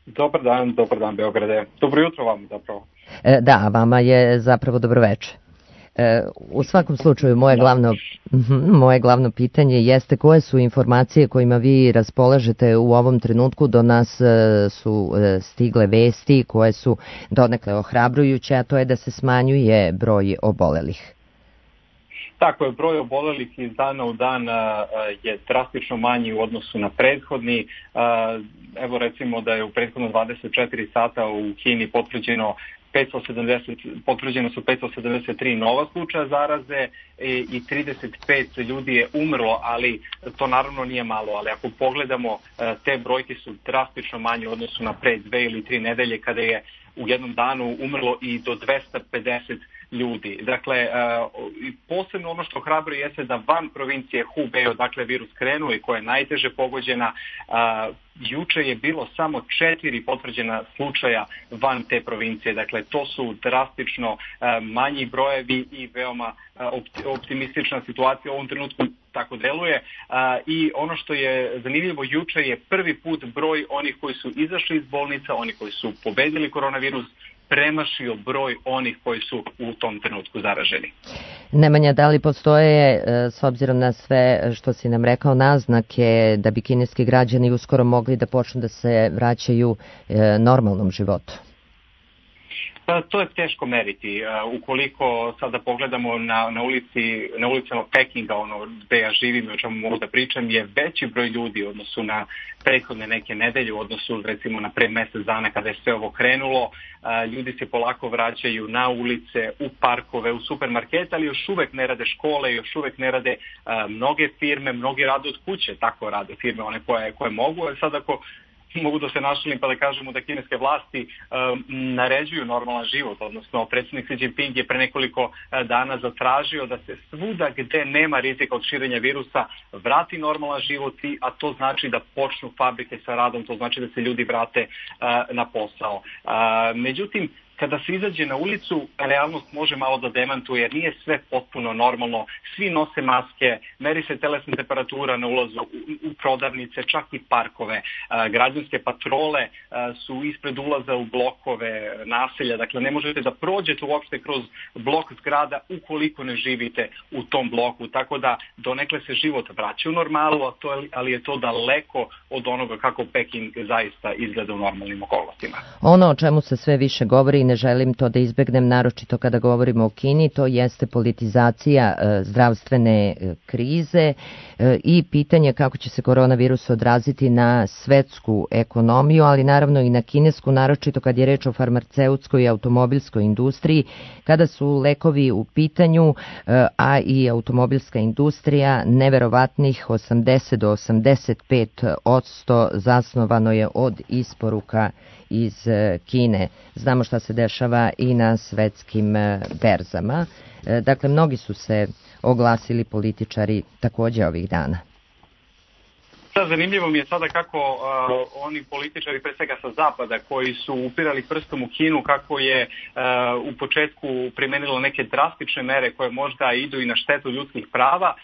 Dobar dan Beograde. Dobro jutro vam zapravo. Da, vama je zapravo dobroveče. U svakom slučaju, moje glavno pitanje jeste koje su informacije kojima vi raspolažete u ovom trenutku. Do nas su stigle vesti koje su donekle ohrabrujuće, a to je da se smanjuje broj obolelih. Tako je, broj obolelih iz dana u dan je drastično manji u odnosu na evo recimo da je u prethodno 24 sata u Kini potvrđeno su 573 nova slučaja zaraze i 35 ljudi je umrlo, ali to naravno nije malo, ali ako pogledamo te brojke su drastično manje u odnosu na pre 2 ili 3 nedelje kada je u jednom danu umrlo i do 250 ljudi. Dakle, posebno ono što hrabruje jeste da van provincije Hubei, odakle virus krenuo i koja je najteže pogođena, juče je bilo samo 4 potvrđena slučaja van te provincije. Dakle, to su drastično manji brojevi i veoma optimistična situacija u ovom trenutku tako deluje. I ono što je zanimljivo, juče je prvi put broj onih koji su izašli iz bolnica, oni koji su pobedili koronavirus, premašio broj onih koji su u tom trenutku zaraženi. Nemanja, da li postoje, s obzirom na sve što si nam rekao, naznake da bi kineski građani uskoro mogli da počnu da se vraćaju normalnom životu? To je teško meriti. Ukoliko sada pogledamo na ulicama Pekinga, gde ja živim i o čemu mogu da pričam, je veći broj ljudi u odnosu na prethodne neke nedelje, u odnosu recimo na pre mesec dana kada je sve ovo krenulo. Ljudi se polako vraćaju na ulice, u parkove, u supermarkete, ali još uvek ne rade škole, još uvek ne rade mnoge firme, mnogi rade od kuće, tako rade firme, one koje mogu, ali sad ako mogu da se našalim pa da kažemo da kineske vlasti naređuju normalan život, odnosno predsjednik Xi Jinping je pre nekoliko dana zatražio da se svuda gde nema rizika od širenja virusa vrati normalan život, a to znači da počnu fabrike sa radom, to znači da se ljudi vrate na posao. Međutim, kada se izađe na ulicu, realnost može malo da demantuje jer nije sve potpuno normalno. Svi nose maske, meri se telesna temperatura na ulazu u prodavnice, čak i parkove. Građanske patrole su ispred ulaza u blokove naselja. Dakle, ne možete da prođete uopšte kroz blok zgrada ukoliko ne živite u tom bloku. Tako da donekle se život vraća u normalu, ali je to daleko od onoga kako Peking zaista izgleda u normalnim okolnostima. Ono o čemu se sve više govori, ne želim to da izbegnem, naročito kada govorimo o Kini, to jeste politizacija zdravstvene krize i pitanje kako će se koronavirus odraziti na svetsku ekonomiju, ali naravno i na kinesku, naročito kad je reč o farmaceutskoj i automobilskoj industriji, kada su lekovi u pitanju, a i automobilska industrija neverovatnih 80 do 85% zasnovano je od isporuka iz Kine. Znamo šta se dešava i na svetskim berzama. Dakle, mnogi su se oglasili političari takođe ovih dana. Zanimljivo mi je sada kako oni političari, pre svega sa zapada, koji su upirali prstom u Kinu, kako je u početku primenilo neke drastične mere koje možda idu i na štetu ljudskih prava,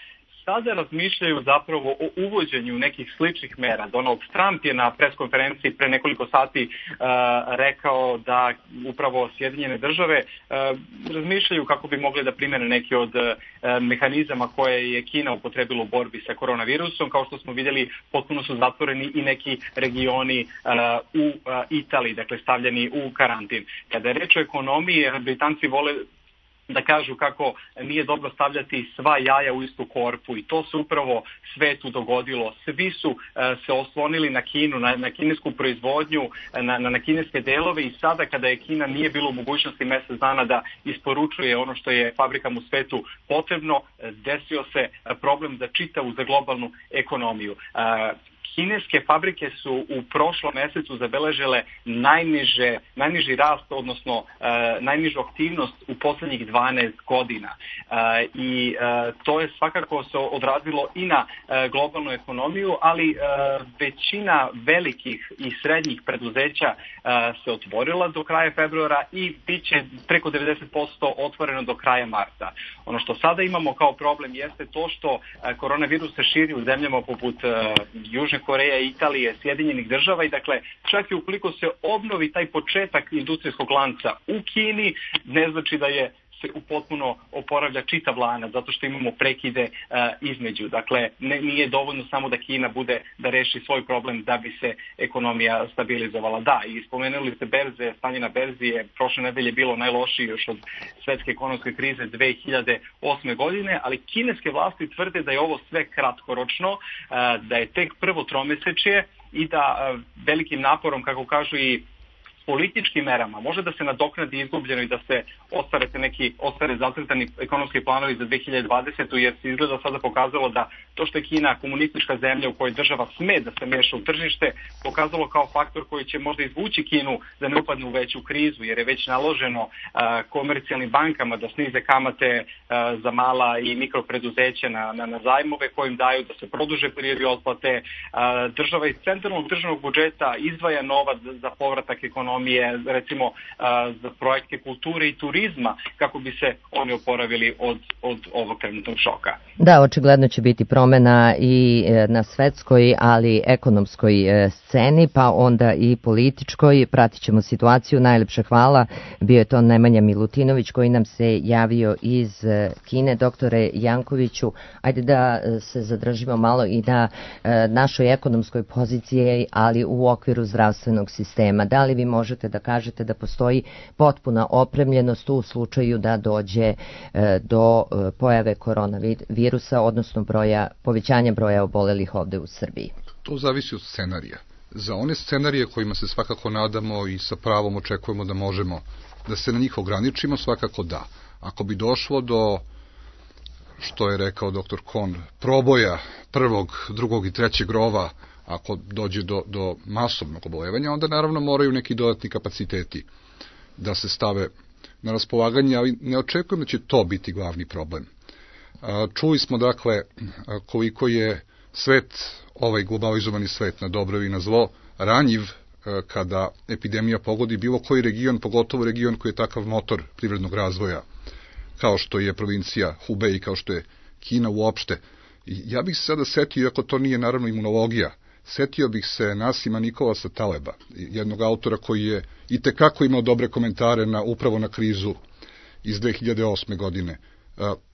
sada razmišljaju zapravo o uvođenju nekih sličnih mera. Donald Trump je na preskonferenciji pre nekoliko sati rekao da upravo Sjedinjene države razmišljaju kako bi mogli da primene neki od mehanizama koje je Kina upotrebila u borbi sa koronavirusom. Kao što smo vidjeli, potpuno su zatvoreni i neki regioni u Italiji, dakle stavljeni u karantin. Kada je reč o ekonomiji, Britanci vole da kažu kako nije dobro stavljati sva jaja u istu korpu i to se upravo svetu dogodilo. Svi su se oslonili na Kinu, na kinesku proizvodnju, na kineske delove i sada kada je Kina nije bilo u mogućnosti mesec dana da isporučuje ono što je fabrikama u svetu potrebno, desio se problem za čitavu, za globalnu ekonomiju. Kineske fabrike su u prošlom mesecu zabeležile najniži rast, odnosno najnižu aktivnost u poslednjih 12 godina. I to je svakako se odrazilo i na globalnu ekonomiju, ali većina velikih i srednjih preduzeća se otvorila do kraja februara i bit će preko 90% otvoreno do kraja marta. Ono što sada imamo kao problem jeste to što koronavirus se širi u zemljama poput Južne Koreje, Italije, Sjedinjenih država i dakle čak i ukoliko se obnovi taj početak industrijskog lanca u Kini, ne znači da je se potpuno oporavlja čitav lanac, zato što imamo prekide između. Dakle, nije dovoljno samo da Kina bude da reši svoj problem da bi se ekonomija stabilizovala. Da, i spomenuli ste berze, stanje na berzi je prošle nedelje bilo najlošije još od svetske ekonomske krize 2008. godine, ali kineske vlasti tvrde da je ovo sve kratkoročno, da je tek prvo tromesečje i da velikim naporom, kako kažu i političkim merama može da se nadoknadi izgubljeno i da se ostvare zacrtani ekonomski planovi za 2020. jer se izgleda sada pokazalo da to što je Kina komunistička zemlja u kojoj država sme da se meša u tržište, pokazalo kao faktor koji će možda izvući Kinu da ne upadne u veću krizu, jer je već naloženo komercijalnim bankama da snize kamate za mala i mikropreduzeća na zajmove kojim daju, da se produže periodi otplate. Država iz centralnog državnog budžeta izdvaja novac za povratak ekonomije, recimo za projekte kulture i turizma, kako bi se oni oporavili od ovog trenutnog šoka. Da, očigledno će biti promena i na svetskoj, ali ekonomskoj sceni, pa onda i političkoj. Pratit ćemo situaciju. Najlepše hvala. Bio je to Nemanja Milutinović koji nam se javio iz Kine. Doktore Jankoviću, ajde da se zadržimo malo i na našoj ekonomskoj poziciji, ali u okviru zdravstvenog sistema. Da li vi možete da kažete da postoji potpuna opremljenost u slučaju da dođe do pojave koronavirusa, odnosno povećanja broja obolelih ovde u Srbiji? To zavisi od scenarija. Za one scenarije kojima se svakako nadamo i sa pravom očekujemo da možemo da se na njih ograničimo, svakako da. Ako bi došlo do, što je rekao dr. Kohn, proboja prvog, drugog i trećeg rova, ako dođe do masovnog obolevanja, onda naravno moraju neki dodatni kapaciteti da se stave na raspolaganje, ali ne očekujem da će to biti glavni problem. Čuli smo dakle koliko je svet, ovaj globalizovani svet na dobro i na zlo, ranjiv kada epidemija pogodi bilo koji region, pogotovo region koji je takav motor privrednog razvoja, kao što je provincija Hubei, kao što je Kina uopšte. I ja bih se sada setio, iako to nije naravno imunologija, setio bih se Nasima Nikolasa Taleba, jednog autora koji je itekako imao dobre komentare upravo na krizu iz 2008. godine,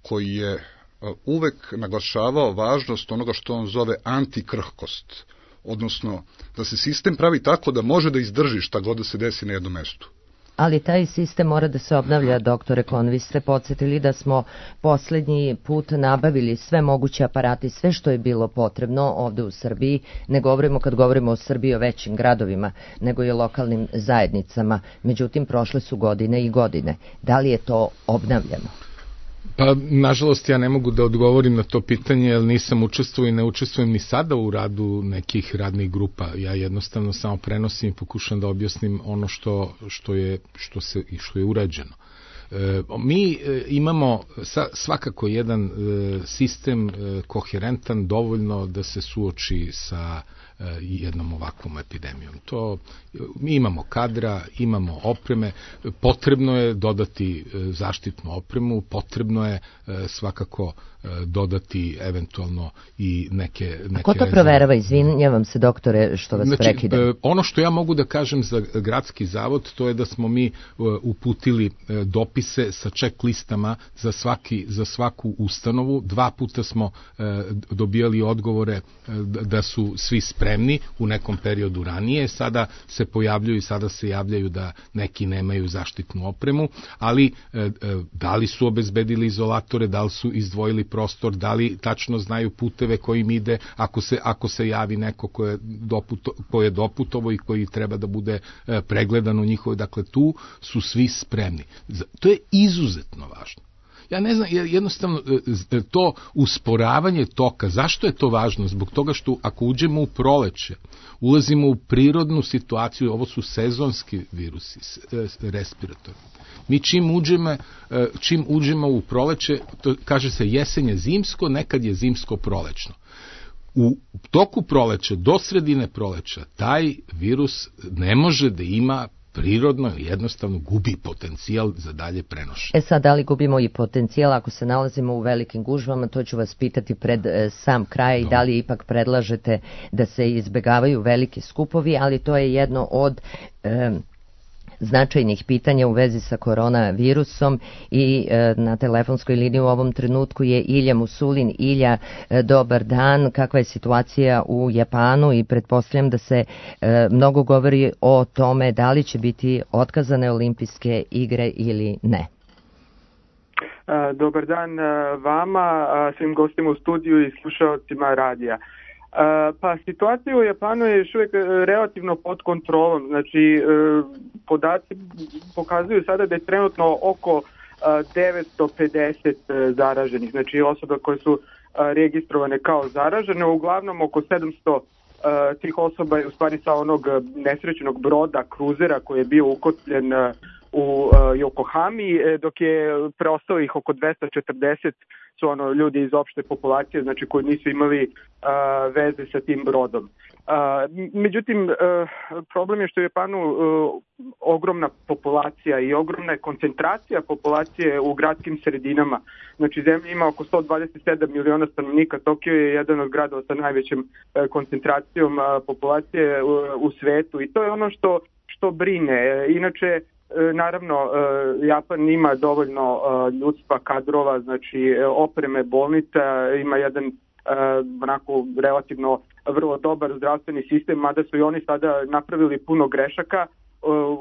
koji je uvek naglašavao važnost onoga što on zove antikrhkost, odnosno da se sistem pravi tako da može da izdrži šta god da se desi na jednom mestu. Ali taj sistem mora da se obnavlja, doktore Kohn. Vi ste podsjetili da smo poslednji put nabavili sve moguće aparate, sve što je bilo potrebno ovde u Srbiji. Ne govorimo, kad govorimo o Srbiji, o većim gradovima, nego i o lokalnim zajednicama. Međutim, prošle su godine i godine. Da li je to obnavljeno? Pa, nažalost, ja ne mogu da odgovorim na to pitanje, jer nisam učestvovao i ne učestvujem ni sada u radu nekih radnih grupa. Ja jednostavno samo prenosim i pokušam da objasnim ono što je urađeno. Mi imamo svakako jedan sistem koherentan dovoljno da se suoči sa jednom ovakvom epidemijom. Mi imamo kadra, imamo opreme, potrebno je dodati zaštitnu opremu, potrebno je svakako dodati eventualno i neke... A ko to proverava? Izvinjavam se, doktore, što vas prekidam. Ono što ja mogu da kažem za gradski zavod, to je da smo mi uputili dopise sa check listama za svaku ustanovu. 2 puta smo dobijali odgovore da su svi spremni spremni u nekom periodu ranije, sada se pojavljuju i sada se javljaju da neki nemaju zaštitnu opremu, ali da li su obezbedili izolatore, da li su izdvojili prostor, da li tačno znaju puteve kojim ide, ako se javi neko ko je doputovo i koji treba da bude pregledan u njihovoj, dakle tu su svi spremni. To je izuzetno važno. Ja ne znam, jednostavno to usporavanje toka, zašto je to važno? Zbog toga što ako uđemo u proleće, ulazimo u prirodnu situaciju, ovo su sezonski virusi, respiratorni. Mi čim uđemo u proleće, to kaže se jesen je zimsko, nekad je zimsko prolećno. U toku proleća, do sredine proleća, taj virus ne može da ima prirodno, jednostavno gubi potencijal za dalje prenošenje. Sad, da li gubimo i potencijal ako se nalazimo u velikim gužvama, to ću vas pitati pred sam kraj, i da li ipak predlažete da se izbegavaju veliki skupovi, ali to je jedno od značajnih pitanja u vezi sa koronavirusom i na telefonskoj liniji u ovom trenutku je Ilja Musulin. Ilja, dobar dan. Kakva je situacija u Japanu i pretpostavljam da se mnogo govori o tome da li će biti otkazane olimpijske igre ili ne? Dobar dan vama, svim gostima u studiju i slušalcima radija. Pa situacija u Japanu je još uvijek relativno pod kontrolom, znači podaci pokazuju sada da je trenutno oko 950 zaraženih, znači osoba koje su registrovane kao zaražene, uglavnom oko 700 tih osoba je u stvari sa onog nesrećenog broda, kruzera koji je bio ukotljen u Yokohami, dok je preostalo ih oko 240 su ljudi iz opšte populacije, znači koji nisu imali veze sa tim brodom. Međutim, problem je što je u Japanu ogromna populacija i ogromna je koncentracija populacije u gradskim sredinama. Znači zemlja ima oko 127 miliona stanovnika, Tokio je jedan od gradova sa najvećom koncentracijom populacije u svetu i to je ono što brine. Inače, naravno, Japan ima dovoljno ljudstva, kadrova, znači opreme, bolnica, ima jedan onako relativno vrlo dobar zdravstveni sistem, mada su i oni sada napravili puno grešaka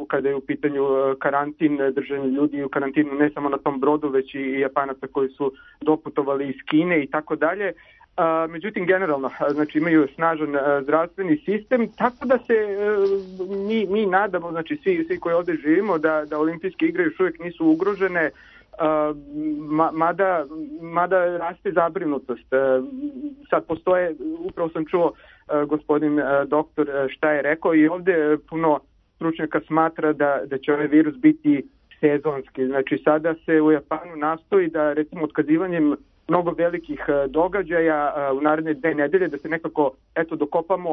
kada je u pitanju karantin, držanje ljudi u karantinu ne samo na tom brodu, već i Japanaca koji su doputovali iz Kine i tako dalje. Međutim, generalno, znači imaju snažan zdravstveni sistem, tako da se mi nadamo, znači svi koji ovdje živimo, da olimpijske igre još uvijek nisu ugrožene, mada raste zabrinutost. Sad postoje, upravo sam čuo gospodin doktor šta je rekao i ovdje puno stručnjaka smatra da će ovaj virus biti sezonski. Znači sada se u Japanu nastoji da recimo otkazivanjem mnogo velikih događaja u naredne 2 nedelje, da se nekako dokopamo,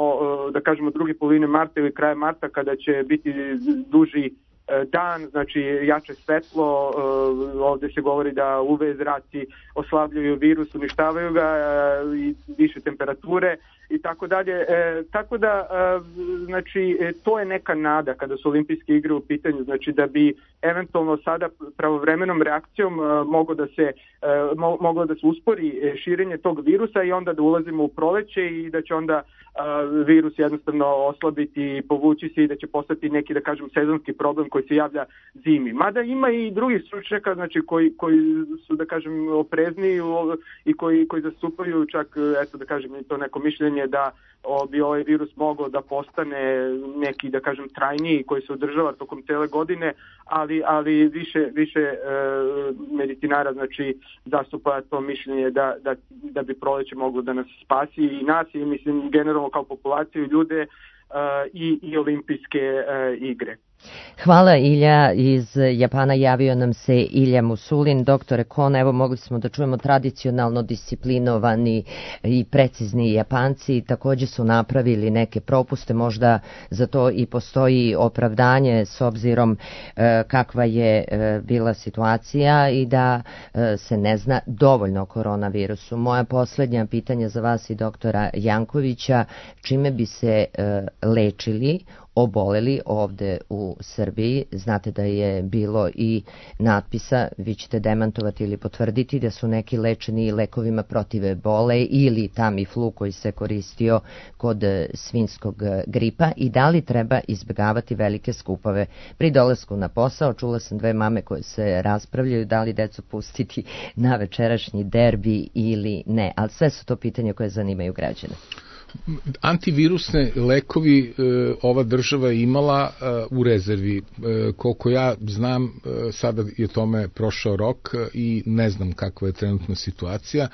da kažemo, druge polovine marta ili kraja marta kada će biti duži dan, znači jače svetlo, ovdje se govori da UV zraci oslabljuju virus, uništavaju ga i više temperature i tako dalje. Tako da, znači, to je neka nada kada su olimpijske igre u pitanju, znači da bi eventualno sada pravovremenom reakcijom moglo da se uspori širenje tog virusa i onda da ulazimo u proleće i da će onda virus jednostavno oslabiti i povući se i da će postati neki, da kažem, sezonski problem koji se javlja zimi. Mada ima i drugih stručnjaka, znači koji su, da kažem, oprezniji i koji zastupaju čak, da kažem, to neko mišljenje da bi ovaj virus mogao da postane neki, da kažem, trajniji koji se održava tokom cele godine, ali više medicinara, znači, zastupa to mišljenje da bi proleće moglo da nas spasi i nas i mislim generalno kao populaciju, ljude i olimpijske igre. Hvala Ilja, iz Japana javio nam se Ilja Musulin. Doktore Kon, evo mogli smo da čujemo tradicionalno disciplinovani i precizni Japanci, također su napravili neke propuste, možda za to i postoji opravdanje s obzirom kakva je bila situacija i da se ne zna dovoljno o koronavirusu. Moja posljednja pitanja za vas i doktora Jankovića, čime bi se lečili oboleli ovde u Srbiji. Znate da je bilo i natpisa, vi ćete demantovati ili potvrditi, da su neki lečeni lekovima protiv ebole ili Tamiflu koji se koristio kod svinjskog gripa, i da li treba izbjegavati velike skupove pri dolasku na posao. Čula sam dve mame koje se raspravljaju da li decu pustiti na večerašnji derbi ili ne, ali sve su to pitanja koje zanimaju građane. Antivirusne lekovi ova država je imala u rezervi. Koliko ja znam, sada je tome prošao rok i ne znam kakva je trenutna situacija.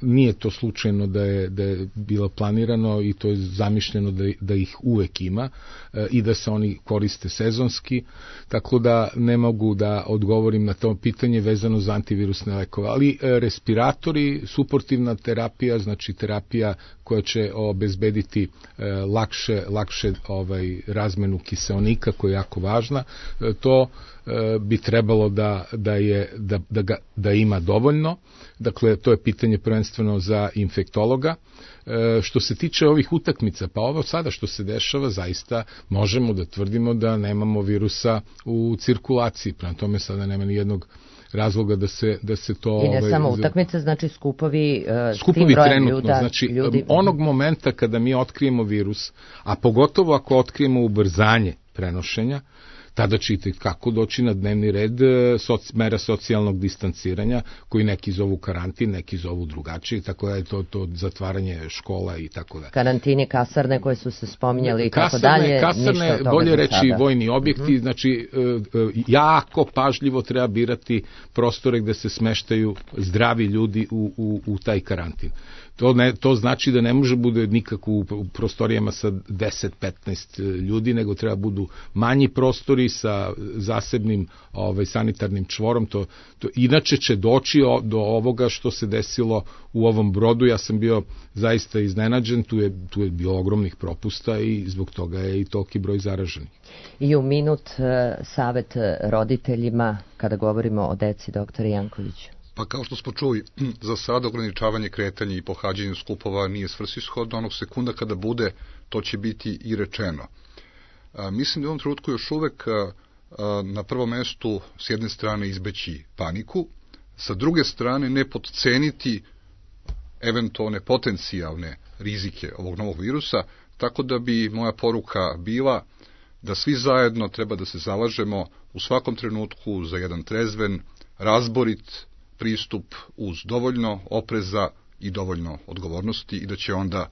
Nije to slučajno da je bilo planirano i to je zamišljeno da ih uvek ima i da se oni koriste sezonski, tako da ne mogu da odgovorim na to pitanje vezano za antivirusne lekove. Ali respiratori, suportivna terapija, znači terapija koja će obezbediti lakše razmenu kiseonika, koja je jako važna, to bi trebalo da ima dovoljno. Dakle, to je pitanje prvenstveno za infektologa. Što se tiče ovih utakmica, pa ovo sada što se dešava, zaista možemo da tvrdimo da nemamo virusa u cirkulaciji. Prema tome sada nema ni jednog razloga da se to... I ne samo utakmice, znači skupovi trenutno, znači ljudi. Onog momenta kada mi otkrijemo virus, a pogotovo ako otkrijemo ubrzanje prenošenja, tada ćete kako doći na dnevni red mera socijalnog distanciranja, koji neki zovu karantin, neki zovu drugačije, tako da je to zatvaranje škola i tako da. Karantini, kasarne koje su se spominjali i tako dalje. Kasarne, bolje reći vojni objekti, znači jako pažljivo treba birati prostore gde se smeštaju zdravi ljudi u taj karantin. To znači da ne može bude nikako u prostorijama sa 10-15 ljudi, nego treba budu manji prostori sa zasebnim sanitarnim čvorom. Inače će doći do ovoga što se desilo u ovom Brodu. Ja sam bio zaista iznenađen, tu je bilo ogromnih propusta i zbog toga je i toliki broj zaraženih. I u minut savet roditeljima kada govorimo o deci, doktore Jankoviću. Pa kao što smo čuli, za sada ograničavanje kretanja i pohađanje skupova nije svrsishodno, onog sekunda kada bude, to će biti i rečeno. Mislim da u ovom trenutku još uvek na prvom mestu s jedne strane izbeći paniku, sa druge strane ne potceniti eventualne potencijalne rizike ovog novog virusa, tako da bi moja poruka bila da svi zajedno treba da se zalažemo u svakom trenutku za jedan trezven, razborit pristup uz dovoljno opreza i dovoljno odgovornosti i da će onda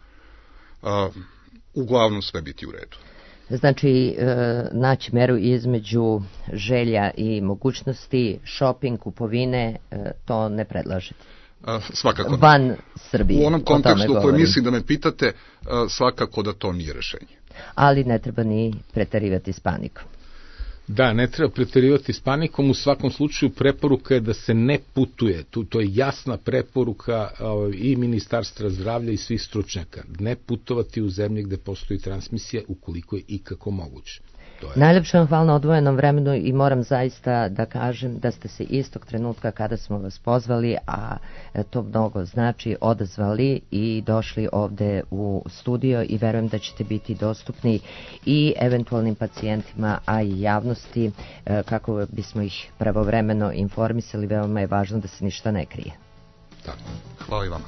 uglavnom sve biti u redu. Znači, naći meru između želja i mogućnosti, shopping, kupovine, to ne predlažete? Svakako. Van Srbije. U onom kontekstu koji mislim da me pitate, svakako da to nije rešenje. Ali ne treba ni preterivati s panikom. Da, ne treba preterivati s panikom, u svakom slučaju preporuka je da se ne putuje, to je jasna preporuka i Ministarstva zdravlja i svih stručnjaka, ne putovati u zemlje gde postoji transmisija ukoliko je ikako moguće. Najlepše vam hvala na odvojenom vremenu i moram zaista da kažem da ste se istog trenutka kada smo vas pozvali, a to mnogo znači, odazvali i došli ovde u studio i verujem da ćete biti dostupni i eventualnim pacijentima, a i javnosti kako bismo ih pravovremeno informisali. Veoma je važno da se ništa ne krije. Tako, hvala i vama.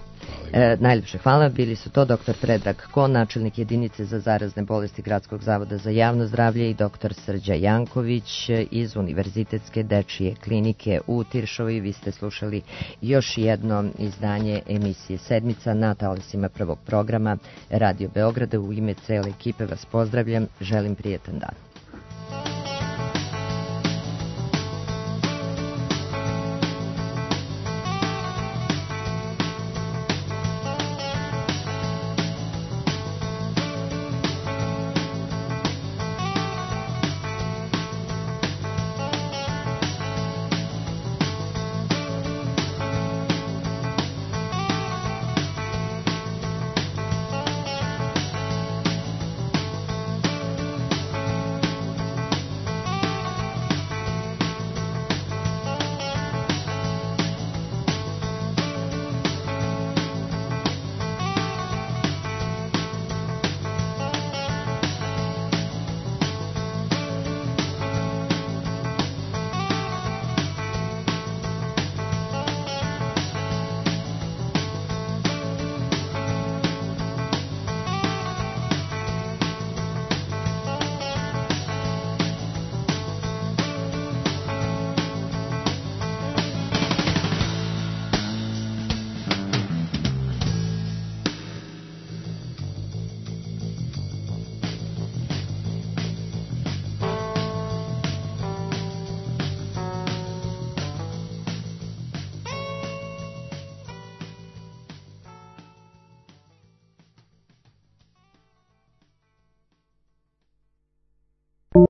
Najljepše hvala, bili su to dr. Predrag Kon, načelnik jedinice za zarazne bolesti Gradskog zavoda za javno zdravlje, i dr. Srđa Janković iz Univerzitetske dečije klinike u Tiršovoj. Vi ste slušali još jedno izdanje emisije Sedmica na talasima prvog programa Radio Beograda. U ime cele ekipe vas pozdravljam, želim prijetan dan.